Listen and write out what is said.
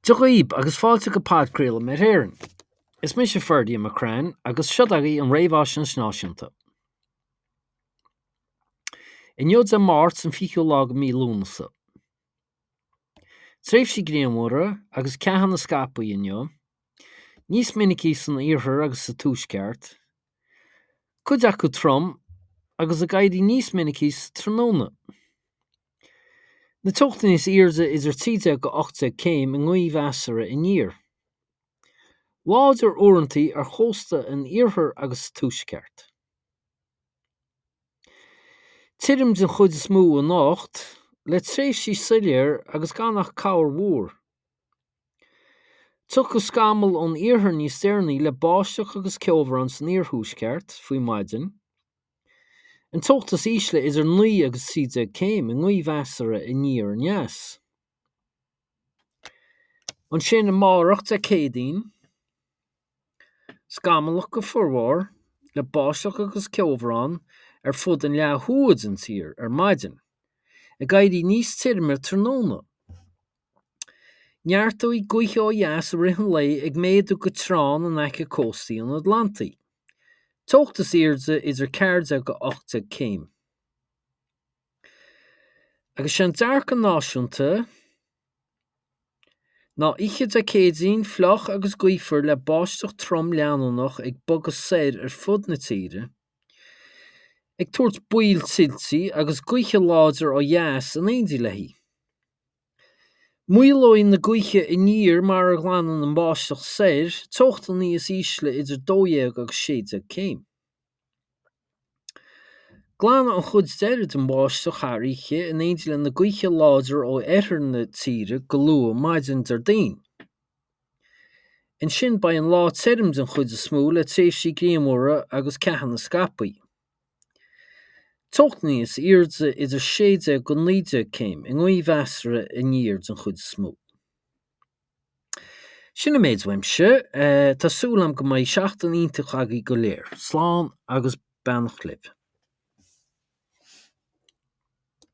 Dia dhaoib agus fáilte go podchraoladh Met Éireann. Is mise Ferdia McCrann agus seo agaibh an Réamhaisnéis Náisiúnta. Inniu Dé Máirt an 20ú lá de mhí Lúnasa. Tréimhsí grianmhara agus ceathanna scaipthe inniu, níos minicí san iarthar agus sa tuaisceart, cuid acu trom agus ag éirí níos minicí sa tráthnóna. Na teochtaí níos airde idir 13-18 céim i ngaoth mheasartha aniar. Láidir uaireanta ar chósta an iarthair agus sa tuaisceart. Tirim den chuid is mó anocht, le tréimhsí soiléir agus gan ach corrmhúr. Tiocfaidh scamaill ón iarthar níos deireanaí le báisteach agus ceobhrán san iarthuaisceart faoi maidin. An teocht is ísle idir 9 agus 13 céim i ngaoth mheasartha aniar aneas. Ansin amárach, Dé Céadaoin, scamallach go formhór, le báisteach agus ceobhrán ar fud an leath thuaidh den tír ar maidin, ag éirí níos tirime tráthnóna. Neartóidh gaotha ó dheas i rith an lae ag méadú go treán in aice cóstaí an Atlantaigh. Teocht is airde idir 14-18 céim. Agus sé an dearcadh náisiúnta ná oíche Dé Céadaoin fliuch agus gaofar le báisteach trom leanúnach ag bogadh soir ar fud na tíre, ag tabhairt baol tuiltí agus gaotha láidir ó dheas in éindí léi. Maolóidh na gaotha aniar mar a ghlanann an bháisteach soir, teochtaí níos ísle idir 12 agus 16 céim. Glanfaidh an chuid deiridh den bháisteach thar oíche in éindí le na gaotha láidre ó oirthear na tíre go luath maidin Déardaoin. Ansin beidh an lá tirim den chuid is mó le tréimhsí grianmhara agus ceathanna scaipthe. Teocht níos airde idir 16-19 céim, i ngaoth mheasartha aniar den chuid is mó. Sin an méid uaimse. Tá súil agam go mbeidh seachtain iontach agaibh go léir. Slán agus beannacht libh.